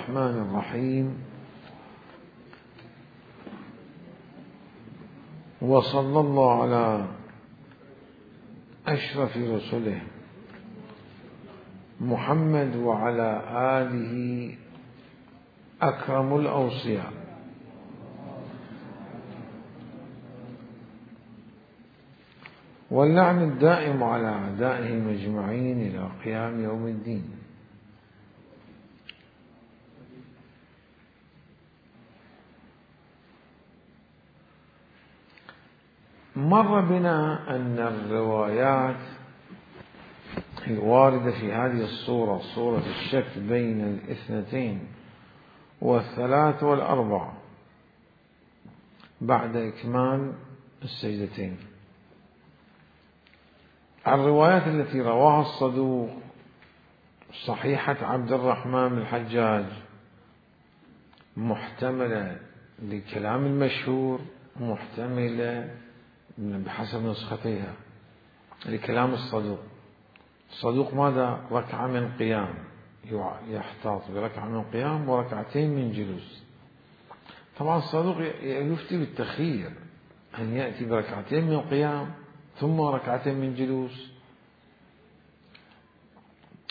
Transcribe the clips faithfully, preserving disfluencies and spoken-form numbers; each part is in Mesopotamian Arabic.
الرحمن الرحيم. وصلى الله على أشرف رسله محمد وعلى آله أكرم الأوصياء. واللعن الدائم على أعدائهم أجمعين إلى قيام يوم الدين. مر بنا أن الروايات الواردة في هذه الصورة، صورة الشك بين الاثنتين والثلاث والأربع بعد إكمال السجدتين، الروايات التي رواها الصدوق صحيحة عبد الرحمن بن الحجاج محتملة لكلام المشهور، محتملة بحسب نسختها لكلام الصدوق. الصدوق ماذا؟ ركعة من قيام، يحتاط بركعة من قيام وركعتين من جلوس. طبعا الصدوق يفتي بالتخيير، أن يأتي بركعتين من قيام ثم ركعتين من جلوس،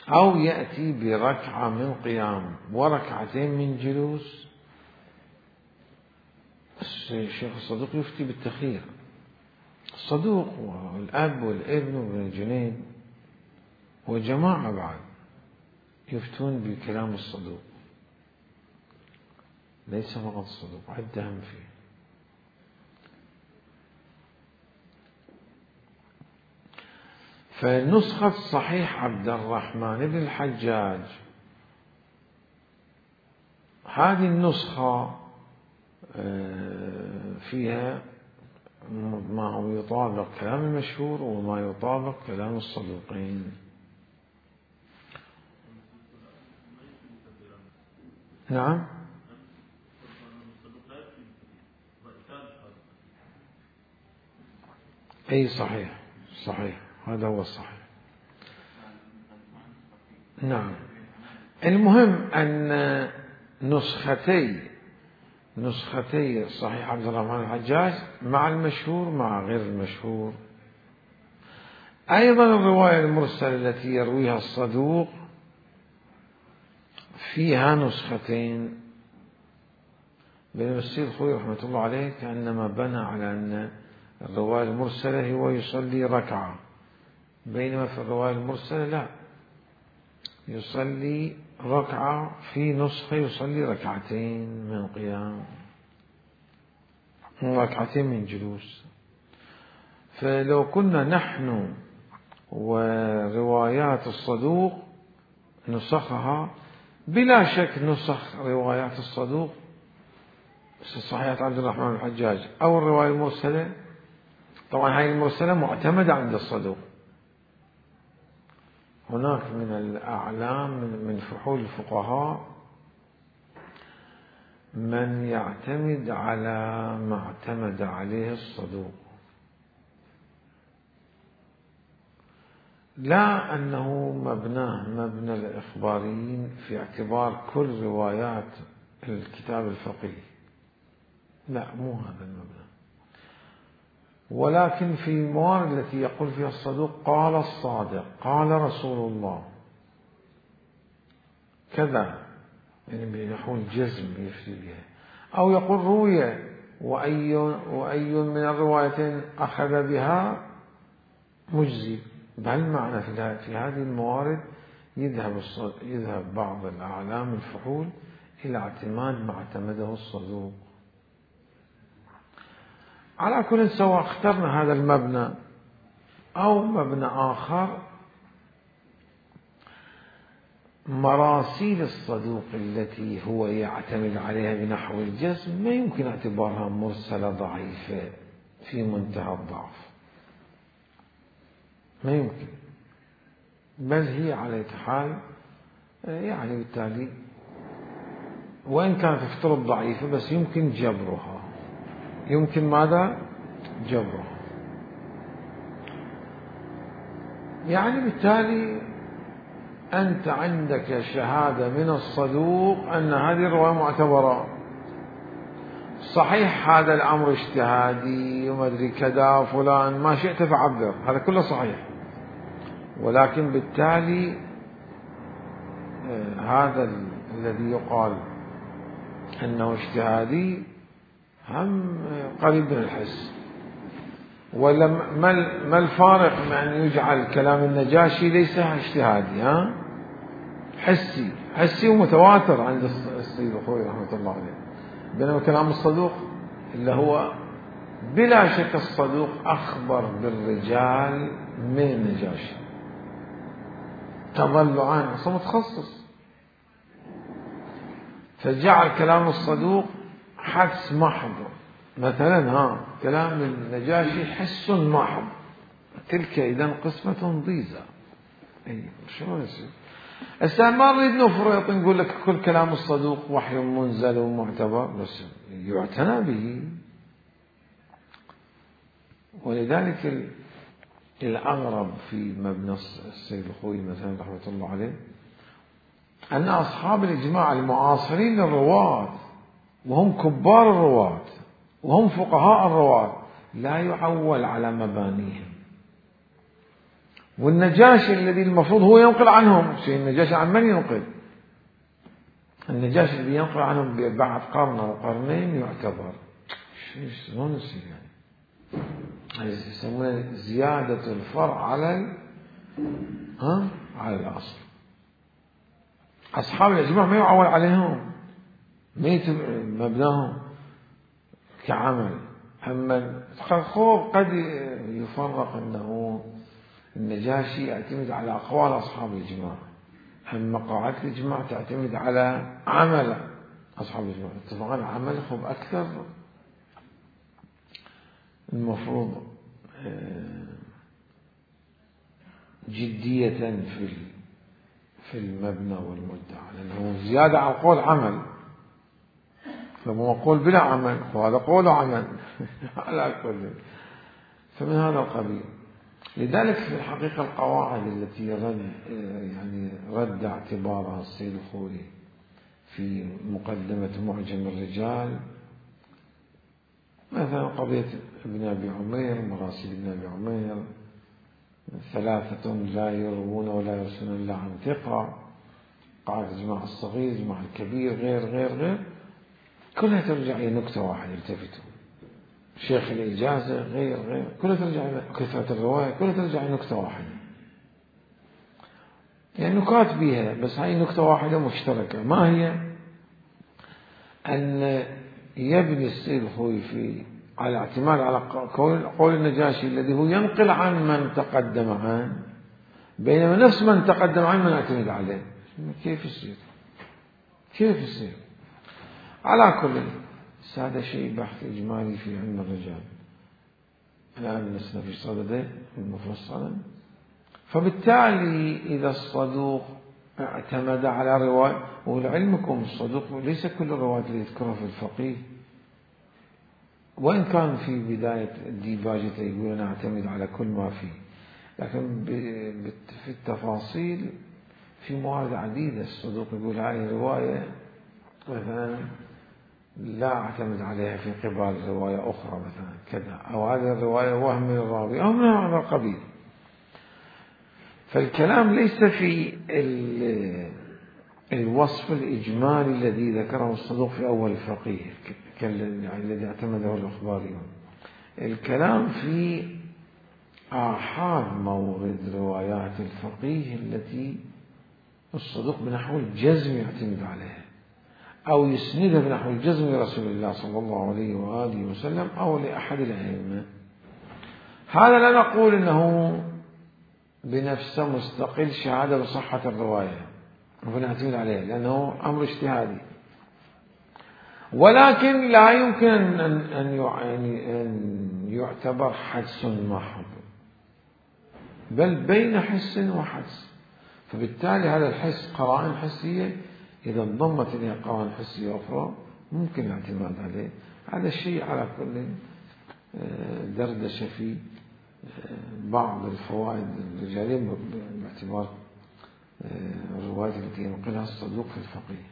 أو يأتي بركعة من قيام وركعتين من جلوس. الشيخ الصدوق يفتي بالتخيير. الصدوق والأب والابن وابن الجنيد وجماعة بعد يفتون بكلام الصدوق، ليس فقط الصدوق، عدهم فيه. فنسخة صحيح عبد الرحمن بن الحجاج هذه النسخة فيها ما هو يطابق كلام المشهور وما يطابق كلام الصدوقين. نعم، أي صحيح صحيح، هذا هو الصحيح. نعم، المهم أن نسختي نسختي صحيح عبد الرحمن الحجاج مع المشهور مع غير المشهور. أيضا الرواية المرسلة التي يرويها الصدوق فيها نسختين. بن مسير الخوي رحمة الله عليه كأنما بنى على أن الرواية المرسلة هو يصلي ركعة، بينما في الرواية المرسلة لا، يصلي ركعة، في نسخة يصلي ركعتين من قيام ركعتين من جلوس. فلو كنا نحن وروايات الصدوق نسخها، بلا شك نسخ روايات الصدوق صحيحة عبد الرحمن الحجاج أو الرواية المرسلة، طبعا هذه المرسلة معتمدة عند الصدوق. هناك من الأعلام من فحول الفقهاء من يعتمد على ما اعتمد عليه الصدوق، لا أنه مبناه مبنى الإخباريين في اعتبار كل روايات الكتاب الفقهي، لا، مو هذا المبنى، ولكن في الموارد التي يقول فيها الصدوق قال الصادق قال رسول الله كذا، يعني بنحو الجزم يفتي بها، أو يقول روي وأي, وأي من الروايتين أخذ بها مجزي. بهالمعنى في هذه الموارد يذهب, يذهب بعض الأعلام الفحول إلى اعتماد ما اعتمده الصدوق. على كل، سواء اخترنا هذا المبنى أو مبنى آخر، مراسيل الصدوق التي هو يعتمد عليها بنحو الجزم ما يمكن اعتبارها مرسلة ضعيفة في منتهى الضعف، ما يمكن، بل هي على حال يعني بالتالي وإن كانت تفترض ضعيفة بس يمكن جبرها، يمكن ماذا؟ جبرها. يعني بالتالي أنت عندك شهادة من الصدوق أن هذه الرواية معتبرة. صحيح هذا الأمر اجتهادي وما أدري كذا فلان ما شئت فعبر، هذا كله صحيح، ولكن بالتالي هذا الذي يقال أنه اجتهادي هم قريب من الحس. ولا ما الفارق من أن يجعل كلام النجاشي ليس اجتهادي، ها حسي حسي ومتواتر عند السيد الخوئي رحمة الله عليه، بينما كلام الصدوق اللي هو بلا شك الصدوق أخبر بالرجال من النجاشي تضلعان، أصلا متخصص، فجعل كلام الصدوق حدس محض. مثلا ها كلام النجاشي حس محض، تلك إذن قسمة ضيزة. أي شو يصير؟ هسه ما نريد نفرط نقول لك كل كلام الصدوق وحي منزل ومعتبر، بس يعتنى به. ولذلك الأغرب في مبنى السيد الخوئي مثلا رحمة الله عليه أن أصحاب الإجماع المعاصرين للرواة وهم كبار الرواة وهم فقهاء الرواة لا يعول على مبانيهم. والنجاشي الذي المفروض هو ينقل عنهم، شيء النجاشي عن من ينقل؟ النجاشي الذي ينقل عنهم بعد قرن أو قرنين يعتبر. شو شلون يصير يعني؟ يسمونه زيادة الفرع على ها على الأصل. أصحاب الإجماع ما يعول عليهم، ما مبناهم كعمل. أما خوف قد يفرق أنه النجاشي يعتمد على أقوال أصحاب الإجماع، أما قاعدة الإجماع تعتمد على عمل أصحاب الإجماع. اتفقنا عملهم أكثر المفروض جدية في في المبنى والمدعى، لأنه زيادة على القول عمل، فهو قول بلا عمل وهذا قول عمل على كل. فمن هذا القبيل. لذلك في الحقيقة القواعد التي رد يعني رد اعتبارها السيد الخوئي في مقدمة معجم الرجال، مثلا قضية ابن أبي عمير، مراسيل ابن أبي عمير، ثلاثة لا يروون ولا يرسلون إلا عن ثقة، قاعدة الجماع الصغير، الجماع الكبير، غير غير غير كلها ترجع إلى نكتة واحدة. التفتوا شيخ الإجازة غير غير كلها ترجع إلى كثرة الرواية، كلها ترجع إلى نكتة واحدة. يعني نكات بها، بس هاي نكتة واحدة مشتركة. ما هي؟ أن يبني السيد الخوئي في على اعتماد على قول النجاشي الذي هو ينقل عن من تقدم عنه، بينما نفس من تقدم عنه من يعتمد عليه. كيف يصير؟ كيف يصير؟ على كل هذا شيء بحث إجمالي في علم الرجال، الآن لسنا في صدده المفصلا. فبالتالي إذا الصدوق اعتمد على رواية، ولعلمكم الصدوق ليس كل الروايات اللي يذكرها في الفقيه، وإن كان في بداية الديباجة يقول أنا أعتمد على كل ما فيه، لكن في التفاصيل في مواد عديدة الصدوق يقول هذه الرواية مثلا لا أعتمد عليها في قبال رواية أخرى مثلا كذا، أو هذه الرواية وهم من الراوي أو من هذا القبيل. فالكلام ليس في الوصف الإجمالي الذي ذكره الصدوق في أول الفقيه الذي اعتمده الأخباريون. الكلام في آحاد مورد روايات الفقيه التي الصدوق بنحو الجزم يعتمد عليها أو يسندها بنحو الجزم لرسول الله صلى الله عليه وآله وسلم أو لأحد الأئمة. هذا لا نقول أنه بنفسه مستقل شهادة بصحة الرواية ونعتمد عليه، لأنه أمر اجتهادي، ولكن لا يمكن أن أن يعتبر حدس محض، بل بين حس وحدس. فبالتالي هذا الحس قرائن حسية، إذا انضمت إليها قرائن حسية أخرى ممكن الاعتماد عليه. هذا الشيء على كل دردشة في بعض الفوائد الرجالية باعتبار الروايات التي ينقلها الصدوق في الفقيه.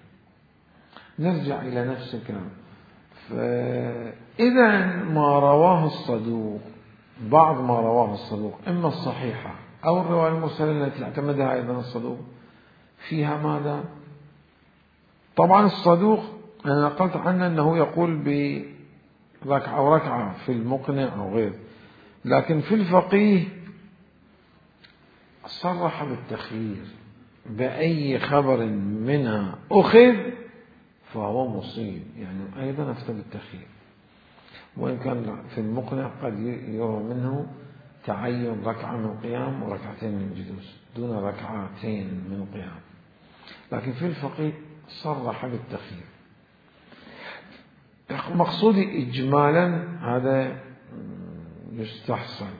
نرجع إلى نفس الكلام. فإذا ما رواه الصدوق، بعض ما رواه الصدوق إما الصحيحة أو الرواية المرسلة التي اعتمدها أيضا الصدوق، فيها ماذا؟ طبعا الصدوق أنا نقلت عنه أنه يقول بركعة أو ركعة في المقنع أو غير، لكن في الفقيه صرح بالتخيير، بأي خبر منها أخذ فهو مصيب، يعني أيضا أفتى بالتخيير، وإن كان في المقنع قد يرى منه تعين ركعة من قيام وركعتين من جلوس دون ركعتين من قيام، لكن في الفقيه صرح بالتخيير. مقصودي إجمالا هذا يستحسن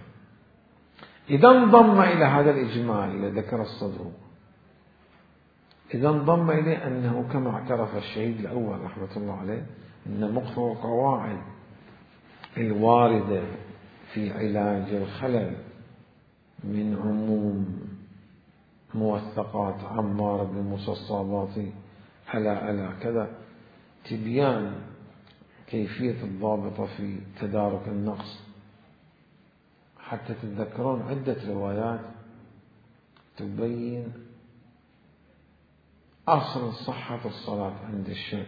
إذا انضم إلى هذا الإجمال الذي ذكر الصدوق، إذا انضم إليه أنه كما اعترف الشهيد الأول رحمة الله عليه أن مقتضى القواعد الواردة في علاج الخلل من عموم موثقات عمار بن موسى الصاباطي ألا ألا كذا، تبيان كيفية الضابطة في تدارك النقص، حتى تتذكرون عدة روايات تبين أصل صحة الصلاة عند الشك،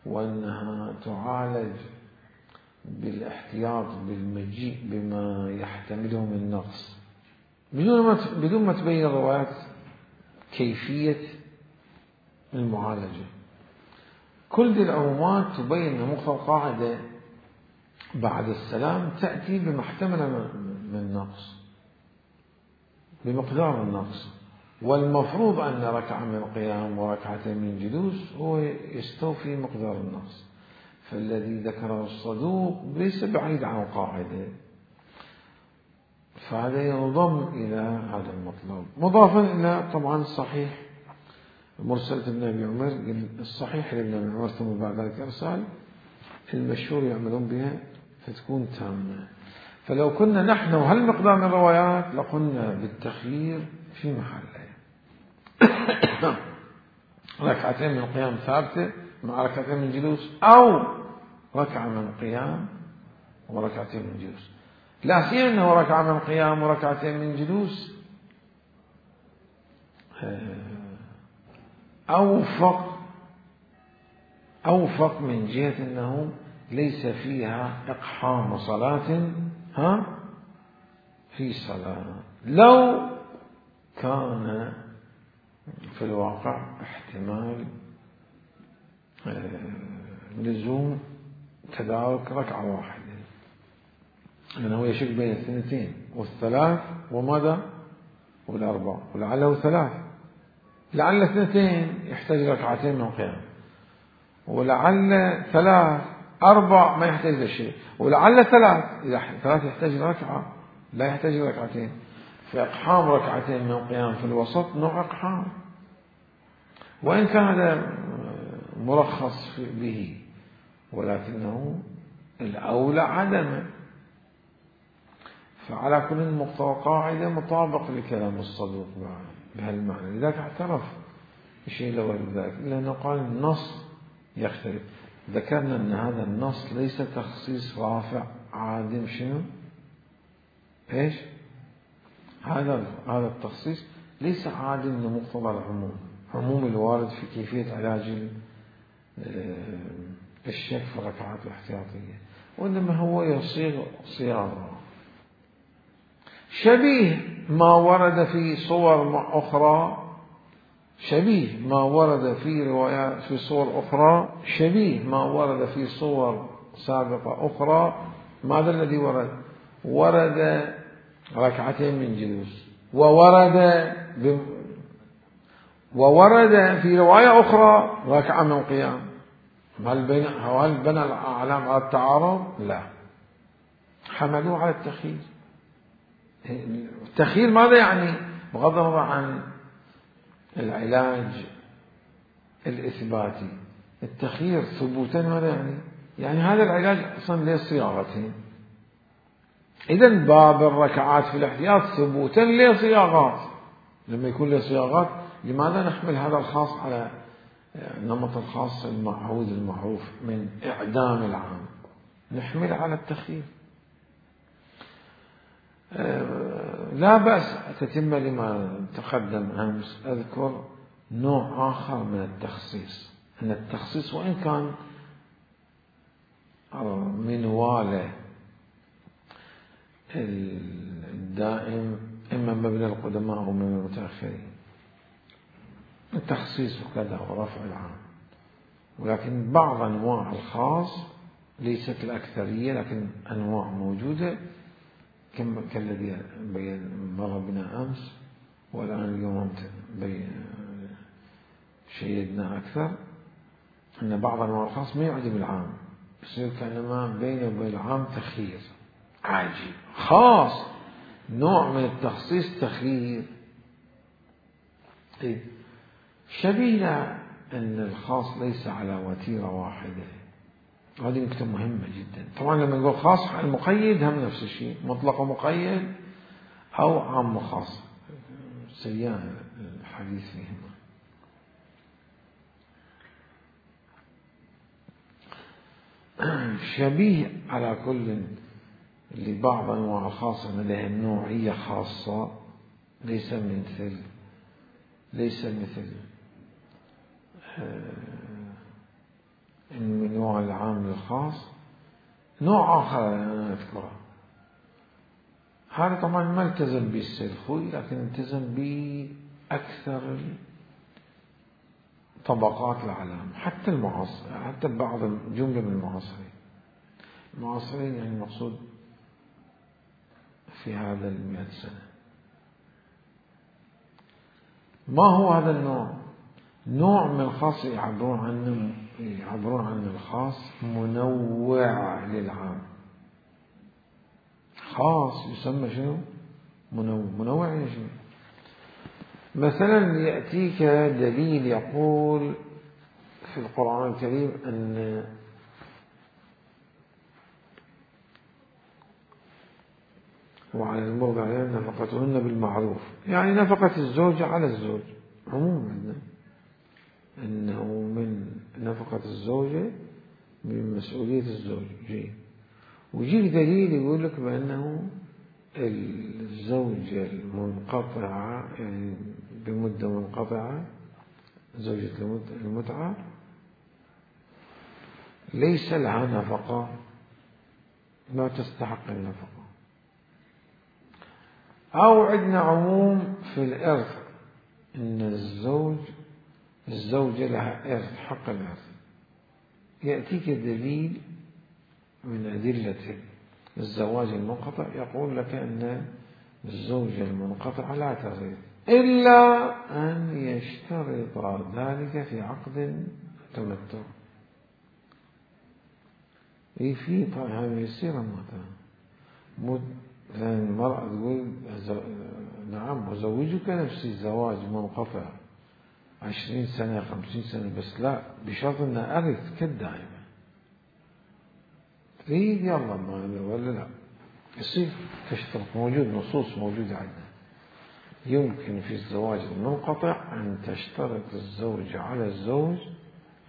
وأنها تعالج بالاحتياط بالمجيء بما يحتمله من نقص، بدون ما تبين الروايات كيفية المعالجة. كل ذي العمومات تبين أن مقتضى القاعدة بعد السلام تأتي بما احتمل من نقص بمقدار النقص، والمفروض أن ركعة من قيام وركعتين من جلوس هو يستوفي مقدار النقص، فالذي ذكره الصدوق ليس بعيد عن القاعدة، فهذا ينضم إلى هذا المطلب، مضافا إلى طبعا الصحيح مرسلة ابن أبي عمر، الصحيح لابن أبي عمر ثم بعد ذلك إرسال المشهور يعملون بها فتكون تامة. فلو كنا نحن وهالمقدار من الروايات لقلنا بالتخيير في محله، ركعتين من قيام ثابتة مع ركعتين من جلوس، أو ركعة من قيام وركعتين من جلوس، لا سيما أنه ركعة من قيام وركعتين من جلوس أوفق أوفق من جهة أنه ليس فيها إقحام صلاة ها في صلاة، لو كان في الواقع احتمال لزوم تدارك ركعة واحدة، لأنه يشك بين الثنتين والثلاث وماذا والأربع، ولعله ثلاث، لعل اثنتين يحتاج ركعتين من قيام، ولعل ثلاث أربع ما يحتاج لشيء، ولعل ثلاث إذا ثلاث يحتاج ركعة لا يحتاج ركعتين، فإقحام ركعتين من قيام في الوسط نوع إقحام، وإن كان هذا مرخص به ولكنه الأولى عدمه. فعلى كل مقتضى قاعدة مطابق لكلام الصدوق بهالمعنى، لذلك اعترف بشيء لو ذلك، لأنه قال النص يختلف. ذكرنا أن هذا النص ليس تخصيص رافع عادم، شنو إيش هذا هذا التخصيص ليس عادم لمقتضى العموم، عموم الوارد في كيفية علاج الشك في الركعات الاحتياطية، وإنما هو يصيغ صياغة شبيه ما ورد في صور أخرى، شبيه ما ورد في روايات في صور أخرى، شبيه ما ورد في صور سابقة أخرى. ماذا الذي ورد؟ ورد ركعتين من جلوس، وورد ب... وورد في رواية أخرى ركعة من قيام. هل بين هل بنى الأعلام على التعارض؟ لا، حملوه على التخيير. التخيير ماذا يعني؟ بغض النظر عن العلاج الإثباتي، التخيير ثبوتا ماذا يعني؟ يعني هذا العلاج أصلا له صياغتين، إذن باب الركعات في الاحتياط ثبوتا له صياغات، لما يكون له صياغات لماذا نحمل هذا الخاص على نمط الخاص المعهود المعروف من إعدام العام؟ نحمل على التخيير. لا بأس تتم لما تقدم أمس أذكر نوع آخر من التخصيص، أن التخصيص وإن كان منواله الدائم إما مبنى القدماء أو من المتأخرين، التخصيص وكذا ورفع العام، ولكن بعض أنواع الخاص ليست الأكثرية لكن أنواع موجودة كالذي مر بنا أمس، والآن اليوم شيدنا أكثر أن بعض أنواع الخاص ما يعدم العام، يصير كأنما بينه وبين العام تخيير عاجل خاص، نوع من التخصيص تخيير شبيه أن الخاص ليس على وتيرة واحدة. هذه نقطة مهمة جدا. طبعا لما نقول خاص المقيد هم نفس الشيء، مطلق ومقيد أو عام وخاص، سيان الحديث فيهما. شبيه على كل لبعض أنواع الخاصة لديها نوعية خاصة، ليس مثل ليس مثل من نوع العام للخاص. نوع آخر أنا أذكره، هذا طبعا ما التزم به السيد خوي لكن التزم به أكثر طبقات العالم، حتى المعاصر، حتى بعض جملة من المعاصرين. المعاصرين يعني المقصود في هذا المئة سنة. ما هو هذا النوع؟ نوع من الخاص يعبرون عنه يعبرون عن الخاص منوع للعام. خاص يسمى شنو؟ منوع. منوع يعني شنو؟ مثلا يأتيك دليل يقول في القرآن الكريم أن وعلى المرضع نفقتهن بالمعروف، يعني نفقة الزوج على الزوج عموما، أنه من نفقة الزوجة من مسؤولية الزوج. جي ويجيك دليل يقول لك بأنه الزوجة المنقطعة يعني بمدة منقطعة، زوجة المتعة ليس لها نفقة، ما تستحق النفقة. أو عندنا عموم في الإرث إن الزوج الزوجة لها إرث، حق الإرث. يأتيك دليل من أدلة الزواج المنقطع يقول لك أن الزوجة المنقطعة لا ترث إلا أن يشترط ذلك في عقد تمتع. إيه في طبعا يصير مثلا المرأة تقول نعم أزوجك نفسي الزواج منقطع عشرين سنة خمسين سنة، بس لا بشرط أن أرث كالدائمة. تريد يلا ما ولا لا يصير تشترط. موجود نصوص موجودة عندنا يمكن في الزواج المنقطع أن تشترط الزوجة على الزوج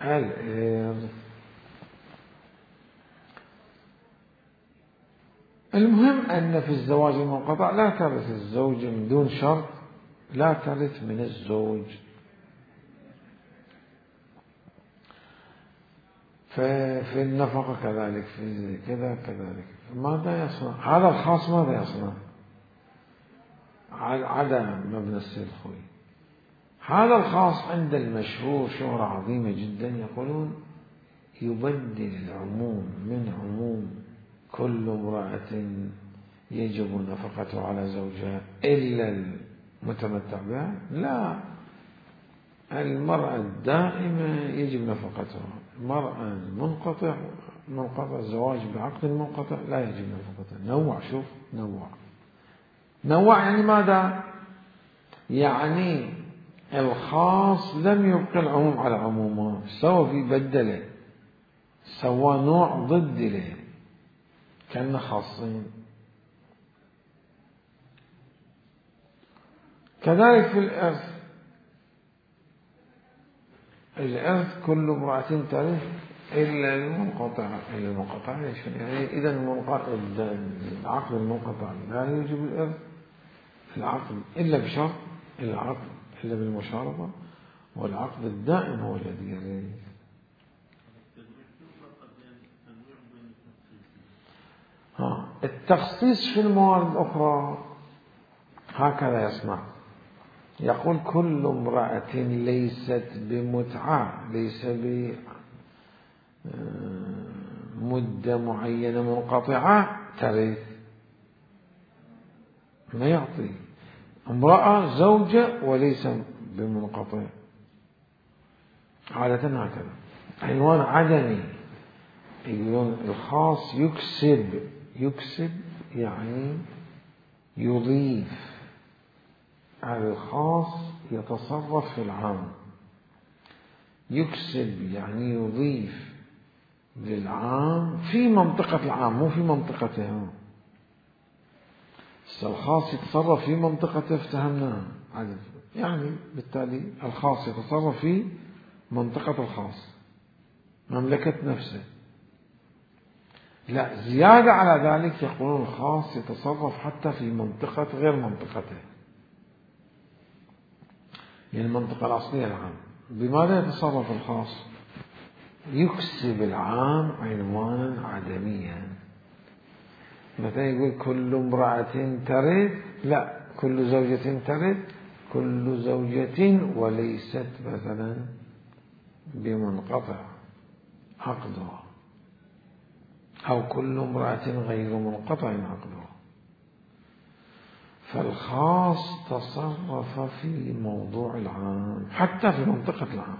الإرث. المهم أن في الزواج المنقطع لا ترث الزوجة من دون شرط، لا ترث من الزوج. ففي النفقة كذلك، في كذا كذلك. ماذا يصنع هذا الخاص؟ ماذا يصنع؟ عدا مبنى السيد خوي. هذا الخاص عند المشهور شهرة عظيمة جدا، يقولون يبدل العموم من عموم كل امرأة يجب نفقته على زوجها إلا المتمتع بها، لا، المرأة الدائمة يجب نفقتها، المرأة المنقطع منقطع الزواج بعقد منقطع لا يجب نفقتها. نوع، شوف نوع نوع يعني ماذا؟ يعني الخاص لم يبقى العموم على عمومه، سوى في بدله، سوى نوع ضد له كأنه خاصين. كذلك في الإرث الإرث كل امرأة ترث إلا المنقطعة. إلا المنقطعة ليش؟ يعني إذا العقد المنقطع لا يوجب الإرث العقد إلا بشرط، العقد إلا بالمشارطة، والعقد الدائم هو الذي يرث. ها التخصيص في الموارد الأخرى هكذا يصنع، يقول كل امرأة ليست بمتعة، ليس بمدة معينة منقطعة ترث، ما يعطي امرأة زوجة وليس بمنقطع، عادة هكذا. عنوان عدمي، يقولون الخاص يكسب، يكسب يعني يضيف، على الخاص يتصرف في العام، يكسب يعني يضيف للعام في منطقة العام مو في منطقته. الخاص يتصرف في منطقته افتهمناها يعني، بالتالي الخاص يتصرف في منطقة الخاص مملكة نفسه. لا زيادة على ذلك يقولون الخاص يتصرف حتى في منطقة غير منطقته، يعني المنطقة الأصلية العام. بماذا يتصرف الخاص؟ يكسب العام عنوانا عدميا. مثلا يقول كل امرأة ترث، لا كل زوجة ترث، كل زوجة وليست مثلا بمنقطع عقدها، أو كل امرأة غير منقطع عقدها. فالخاص تصرف في موضوع العام حتى في منطقة العام.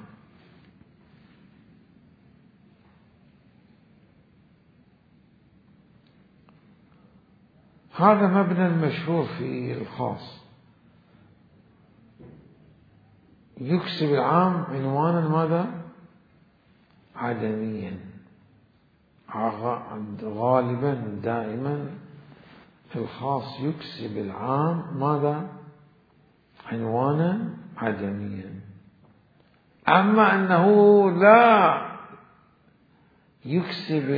هذا مبنى المشهور في الخاص، يكسب العام عنوانا ماذا؟ عدميا. غالبا دائما الخاص يكسب العام ماذا؟ عنوانا عدميا. أما أنه لا يكسب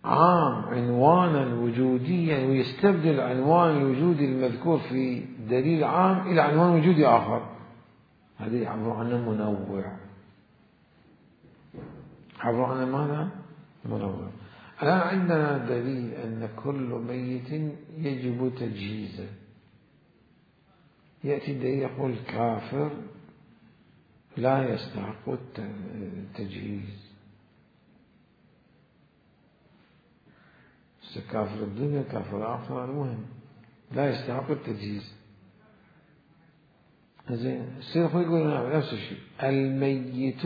العام عنوانا وجوديا ويستبدل العنوان الوجودي المذكور في دليل عام إلى عنوان وجودي آخر، هذه يعبر عنه منوع. يعبر عنه ماذا؟ منوع. الآن عندنا دليل أن كل ميت يجب تجهيزه. يأتي الدليل يقول كافر لا يستحق التجهيز، كافر الدنيا كافر الآخرة المهم لا يستحق التجهيز. زين السيد يقول نفس الشيء، الميت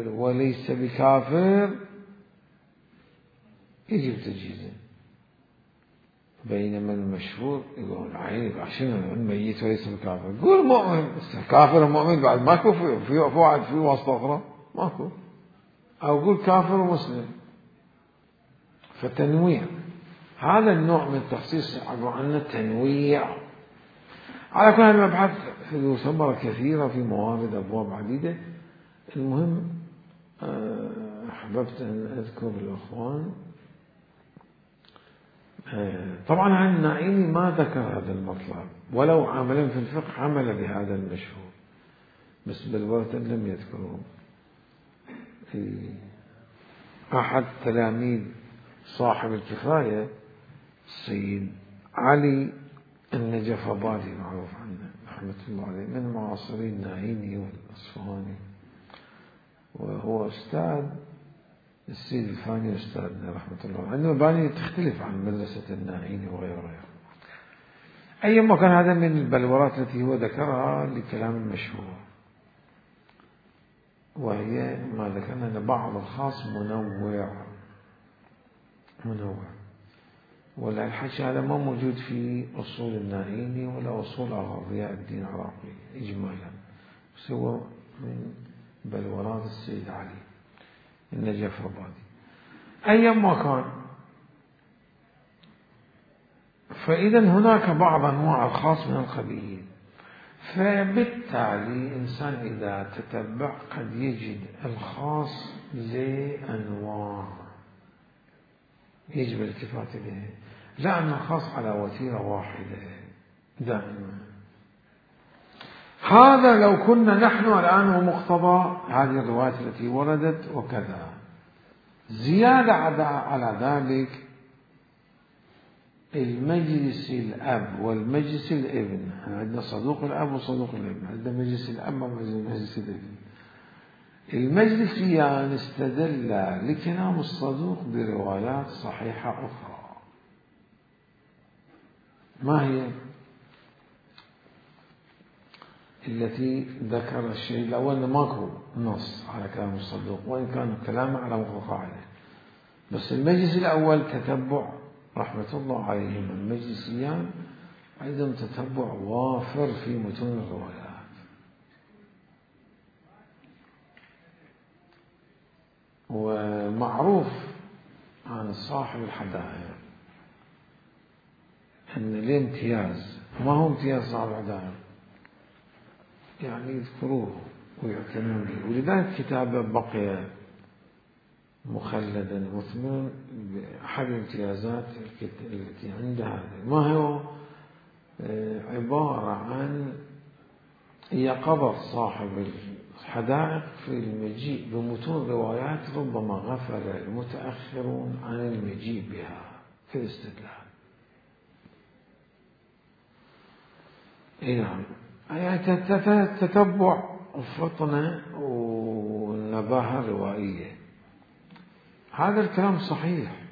وليس بكافر يجب تجهيزه. بينما المشهور يقول عيب عشان الميت وليس بكافر، قول مؤمن كافر ومؤمن بعد ماكو في في واحد في واسطة أخرى ماكو، أو قول كافر ومسلم. فتنويع هذا النوع من التخصيص عبارة عن تنويع. على كل المبحث له ثمرة كثيرة في موارد أبواب عديدة. المهم أحببت أن أذكر الأخوان طبعا عن النعيمي ما ذكر هذا المطلب، ولو عملا في الفقه عمل بهذا المشهور، بس بالورثة لم يذكره. أحد تلاميذ صاحب الكفاية السيد علي النجفبادي معروف عنه رحمة الله عليه، من معاصري النعيمي والأصفهاني، وهو أستاذ السيد الفاني أستاذنا رحمة الله عليه. عنده مباني تختلف عن مدرسة النعيمي وغيره. أيما كان هذا من البلورات التي هو ذكرها لكلام المشهور، وهي ما ذكرنا أن بعض الخاص منوع منوع، ولا الحكي هذا ما موجود في أصول النعيمي ولا أصول ضياء الدين العراقي إجمالا، بس هو من بلورات السيد علي النجفبادي. أيما كان، فإذا هناك بعض أنواع الخاص من القبيل، فبالتالي إنسان إذا تتبع قد يجد الخاص لأنواع يجب الالتفات إليه، لا أن الخاص على وتيرة واحدة دائما. هذا لو كنا نحن الآن ومقتضى هذه الروايات التي وردت وكذا. زيادة على ذلك المجلس الأب والمجلس الابن، عندنا صدوق الأب وصدوق الابن، عندنا مجلس الأب ومجلس الابن. المجلسيان استدل لكلام الصدوق بروايات صحيحة أخرى. ما هي التي ذكر الشيء الأول؟ ماكو نص على كلام الصدوق وإن كان كلامه على قاعدة، بس المجلس الأول تتبع رحمة الله عليهم المجلسيان عندهم تتبع وافر في متون الروايات. ومعروف عن صاحب الحدائق أن الامتياز، ما هو امتياز صاحب الحدائق؟ يعني يذكروه ويعتنون به، ولذلك كتابه بقي مخلدا مثمرا بأحد الامتيازات التي عند هذا. ما هو؟ عبارة عن يقظة صاحب الحدائق في المجيء بمتون روايات ربما غفل المتأخرون عن المجيء بها في الاستدلال. نعم، يعني تتبع فطنة ونباهة روائية. هذا الكلام صحيح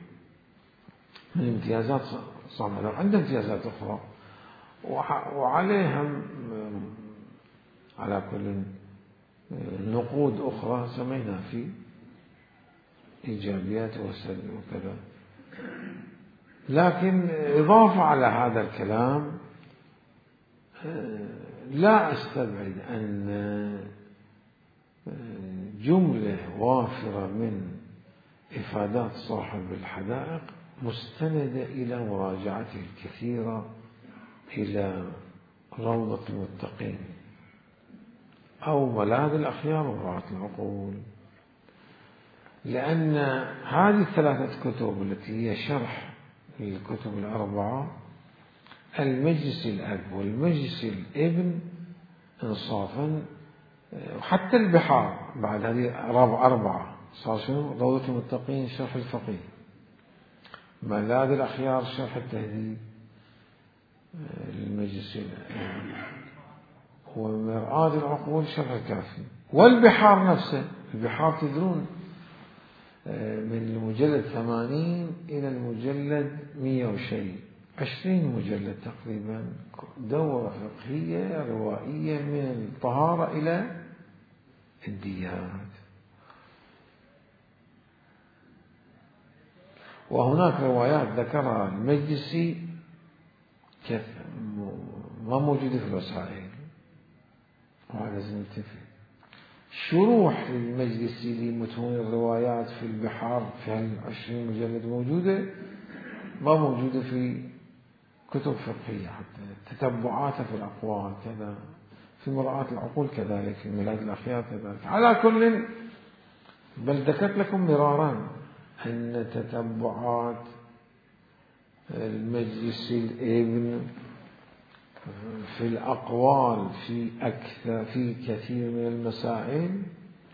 من امتيازات صاملة. عنده امتيازات أخرى وعليها على كل نقود أخرى سمينا في إيجابيات وسلبيات وكذا. لكن إضافة على هذا الكلام لا أستبعد أن جملة وافرة من إفادات صاحب الحدائق مستندة إلى مراجعته الكثيرة إلى روضة المتقين أو ملاذ الأخيار ومراعاة العقول، لأن هذه الثلاثة كتب التي هي شرح للكتب الأربعة، المجلس الأب والمجلس الابن إنصافا، وحتى البحار بعد هذه أربعة صار شنو؟ روضة المتقين شرح الفقيه، ملاذ الأخيار شرح التهذيب المجلس الأب، ومرآة العقول شرح الكافي، والبحار نفسه. البحار تدرون من المجلد ثمانين إلى المجلد مية وشيء، عشرين مجلد تقريبا، دورة فقهية روائية من الطهارة إلى الديات. وهناك روايات ذكرها المجلسي ما موجودة في الوسائل، وهذا لازم ننتبه. شروح المجلسي لمتون الروايات في البحار في هالعشرين مجلد موجودة، ما موجودة في كتب فقهية. حتى تتبعاتها في الأقوال كذا، في مراعاة العقول كذلك، في ميلاد الأخيار كذلك. على كل، بل ذكرت لكم مرارا أن تتبعات المجلس الابن في الأقوال في أكثر في كثير من المسائل،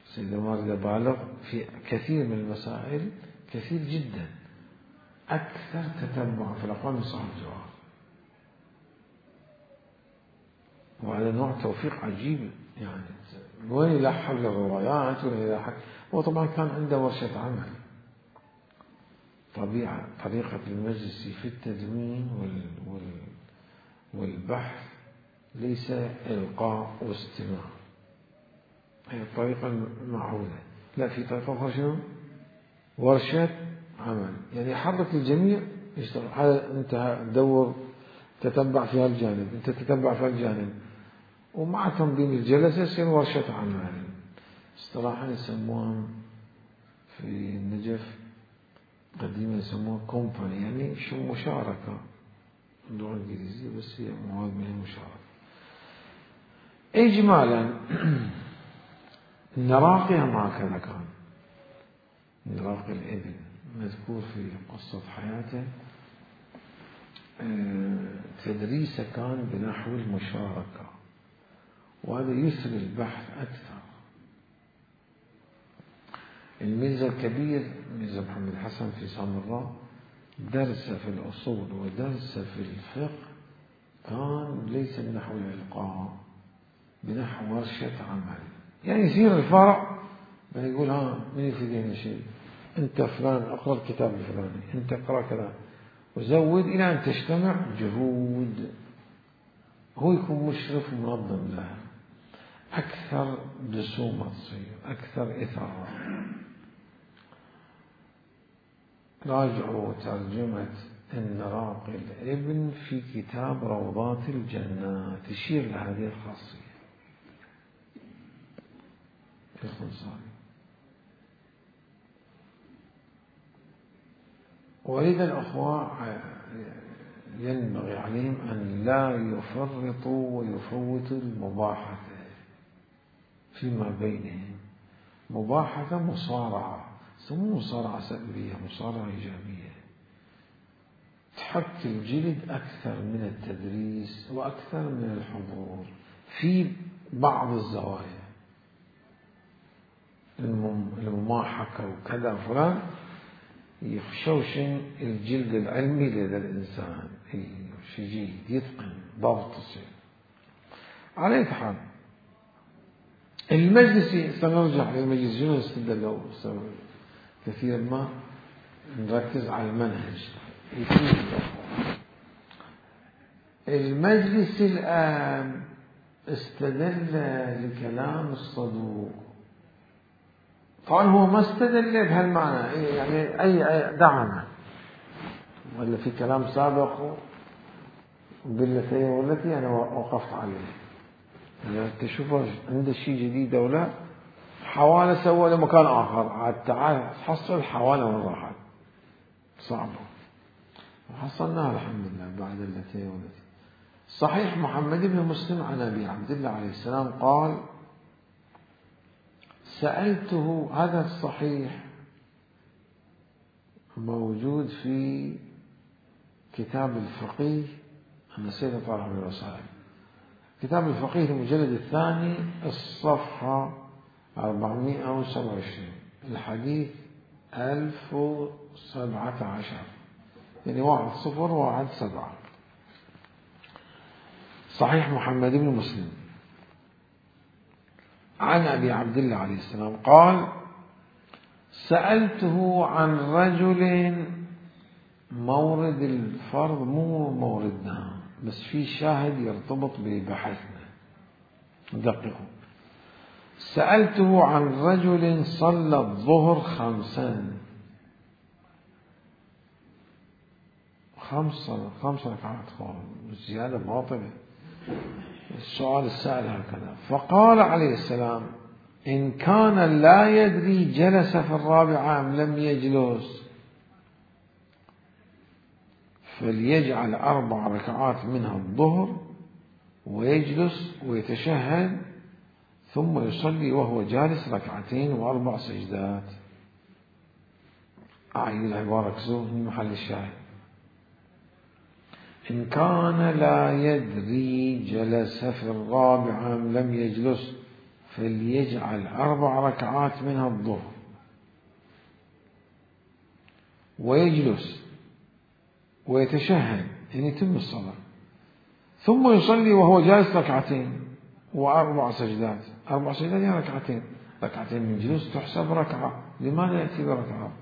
سيدنا مارد بالغ في كثير من المسائل كثير جدا، أكثر تتبع في الأقوال من صاحب الجواب. وهذا نوع توفيق عجيب، يعني وين يلحق الروايات وين يلحق. هو طبعا كان عنده ورشة عمل. طبيعة طريقة المجلس في التدوين وال وال والبحث ليس إلقاء واستماع، هي الطريقة المعهودة. لا، في طريقة أخرى شنو؟ ورشة عمل، يعني يحرك الجميع يشتغل. هذا أنت دور تتبع في هالجانب، أنت تتبع في هالجانب، ومع تنظيم الجلسة يصير ورشة عمل. اصطلاحا يسموها في النجف قديما يسموها كومباني، يعني شو مشاركة، اللغة الإنجليزية بس هي مواد من المشاركة. إجمالا النراقي هم هكذا كان. نراقي الإبل مذكور في قصة حياته تدريسه كان بنحو المشاركة، وهذا يسري البحث أكثر. الميزة الكبير ميزة محمد حسن في سامراء درس في الأصول ودرس في الفقه كان ليس بنحو الإلقاء، بنحو ورشة عمل. يعني يصير الفرع ما يقول ها من يفيدين شيء، أنت فلان أقرأ الكتاب الفلاني، أنت اقرأ كذا، وزود إلى أن تجتمع جهود، هو يكون مشرف منظم لها، أكثر دسومة تصير، أكثر إثارة. راجعوا ترجمة النراقي الابن في كتاب روضات الجنات، تشير لهذه الخاصية الخنصاني. ولذا الأخوة ينبغي عليهم أن لا يفرطوا ويفوتوا المباحثة فيما بينهم. مباحثة مصارعة، سموه مصارعة سلبية، مصارعة إيجابية، تحك الجلد أكثر من التدريس وأكثر من الحضور في بعض الزوايا. المماحكة وكذا فلان يخشوشن الجلد العلمي لدى الإنسان، شجيد يتقن ضبط تصير. على أي حال المجلس، سنرجع للمجلس شنو استدلوا كثيرا ما نركز على المنهج. المجلس الآن استدل لكلام الصدوق، طبعا هو ما استدل بهالمعنى، يعني أي دعمه ولا في كلام سابق بالتي والتي أنا وقفت عليه، يعني تشوفه عنده شيء جديد أو لا، حوالة سوى لمكان آخر، عاد تعال حصل حوالة من راحت صعبة، وحصلناها الحمد لله بعد التي والتي. صحيح محمد بن مسلم عن أبي عبد الله عليه السلام قال: سألته، هذا الصحيح موجود في كتاب الفقيه، أنا سيد طالع من الوسائل، كتاب الفقيه المجلد الثاني الصفحة أربعمائة وسبعة وعشرين، الحديث ألف وسبعة عشر، يعني واحد صفر واحد سبعة، صحيح محمد بن مسلم عن أبي عبد الله عليه السلام قال: سألته عن رجل، مورد الفرض مو موردنا، بس في شاهد يرتبط ببحثنا، دققوا. سألته عن رجل صلى الظهر خمسا، خمس خمس ركعات، زيادة باطلة. السؤال السائل هكذا، فقال عليه السلام: إن كان لا يدري جلس في الرابعة أم لم يجلس فليجعل أربع ركعات منها الظهر ويجلس ويتشهد ثم يصلي وهو جالس ركعتين وأربع سجدات. أعيد العبارة كسو من محل الشاهد: إن كان لا يدري جلس في الرابعة أم لم يجلس فليجعل أربع ركعات منها الظهر ويجلس ويتشهد، يعني يتم الصلاة، ثم يصلي وهو جالس ركعتين وأربع سجدات. أربع سجدات يعني ركعتين، ركعتين من جلوس تحسب ركعة، لماذا يأتي بركعة؟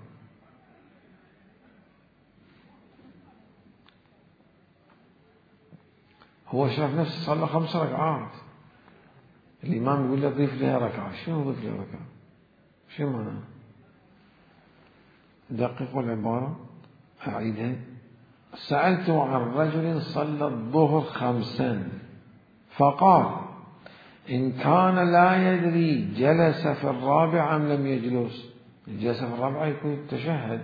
هو شاف نفسه صلى خمس ركعات، الإمام يقول له ضيف لها ركعة، شنو ضيف لها ركعة؟ شو معناه؟ دققوا العبارة، أعيدها. سألته عن رجل صلى الظهر خمسا فقال: إن كان لا يدري جلس في الرابعة أم لم يجلس. جلس في الرابعة يكون تشهد،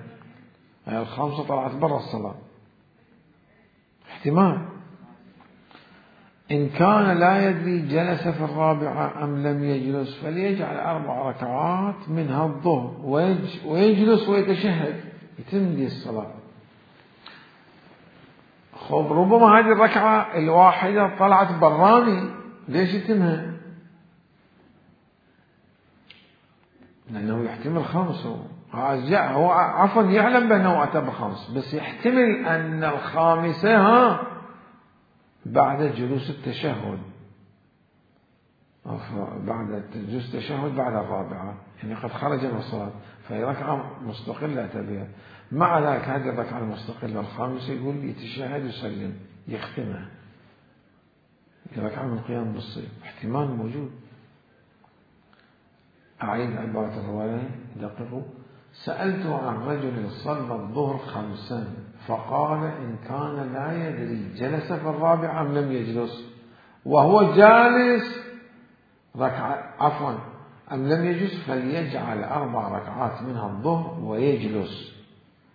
يعني الخمسة طلعت برا الصلاة، احتمال. إن كان لا يدري جلس في الرابعة أم لم يجلس فليجعل أربع ركعات منها الظهر ويجلس ويتشهد يتم دي الصلاة. خب ربما هذه الركعة الواحدة طلعت براني، ليش يتمها؟ لأنه يحتمل خمس، هو عفوا يعلم بأنه أتى بخمس، بس يحتمل أن الخامسة ها بعد جلوس التشهد، بعد جلوس التشهد بعد الرابعة، يعني قد خرج من الصلاة، فهي ركعة مستقلة أتى بها. مع ذلك هذه الركعة المستقلة الخامسة يقول يتشهد يسلم يختمها، ركعة من قيام بالصيف، احتمال موجود. أعيد عبارة الرواية دققوا. سألت عن رجل صلى الظهر خمسا فقال إن كان لا يدري جلس في الرابعة أم لم يجلس وهو جالس ركعة عفوا أم لم يجلس فليجعل أربع ركعات منها الظهر ويجلس،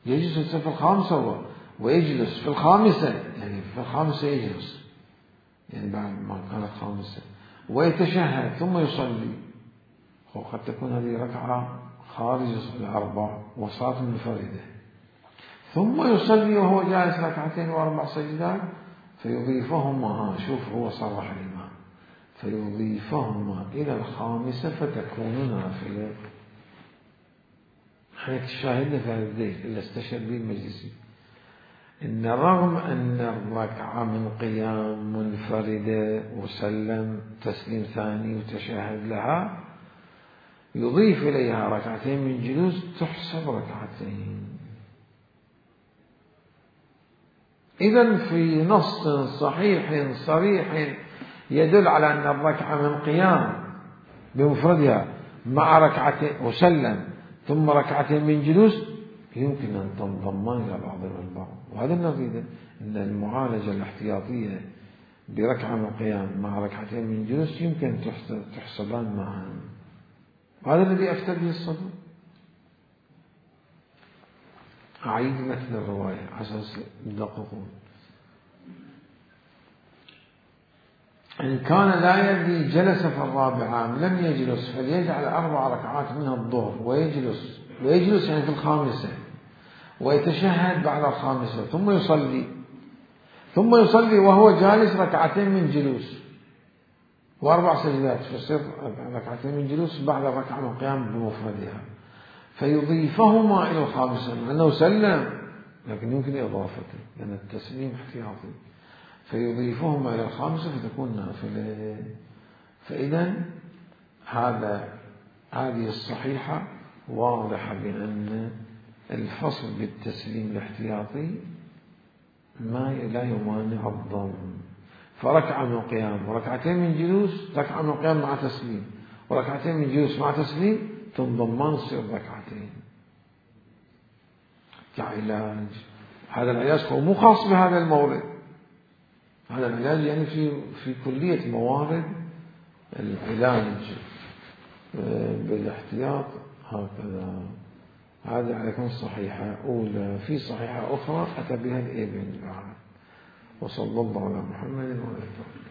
يجلس في الخامسة ويجلس في الخامسة، يعني في الخامسة يجلس يعني بعد ما كانت خامسة، ويتشهد ثم يصلي. وقد تكون هذه ركعة خارج الأربع وصلاة منفردة، ثم يصلي وهو جالس ركعتين وأربع سجدات فيضيفهما، شوف هو صرح الإمام، فيضيفهما إلى الخامسة فتكون نافلة. حيث شاهدنا في هذا الذيل إلا استشهد به المجلسي إن رغم أن الركعة من قيام منفردة وسلم تسليم ثاني وتشهد لها، يضيف إليها ركعتين من جلوس تحسب ركعتين. إذن في نص صحيح صريح يدل على أن الركعة من قيام بمفردها مع ركعتين وسلم ثم ركعتين من جلوس يمكن أن تنضمان إلى بعضها البعض، وهذا نريده، أن المعالجة الاحتياطية بركعة من قيام مع ركعتين من جلوس يمكن تحسبان معا. هذا الذي أفتى به الصدر. أعيد مثل الرواية أساس دققون. إن كان لا يدري جلس في الرابعة لم يجلس فليجعل أربع ركعات منها الظهر ويجلس ويجلس يعني في الخامسة ويتشهد بعد الخامسة ثم يصلي ثم يصلي وهو جالس ركعتين من جلوس وأربع سجدات، فيصير ركعتين من جلوس بعد الركعة من قيام بمفردها، فيضيفهما إلى الخامسة لأنه سلم لكن يمكن إضافته لأن التسليم احتياطي، فيضيفهما إلى الخامسة فتكون نافلة. فإذا هذا هذه الصحيحة واضحة بأن الفصل بالتسليم الاحتياطي ما لا يمانع الضم، فركعة من قيام وركعتين من جلوس، ركعة من قيام مع تسليم وركعتين من جلوس مع تسليم تنضمان تصير ركعتين كعلاج. هذا العلاج هو مو خاص بهذا المورد، هذا العلاج يعني في في كلية موارد العلاج بالاحتياط هكذا. هذا عليكم صحيحة أولى. في صحيحة أخرى أتى بها الابن بعد. وصلى الله على محمد وعلى آله.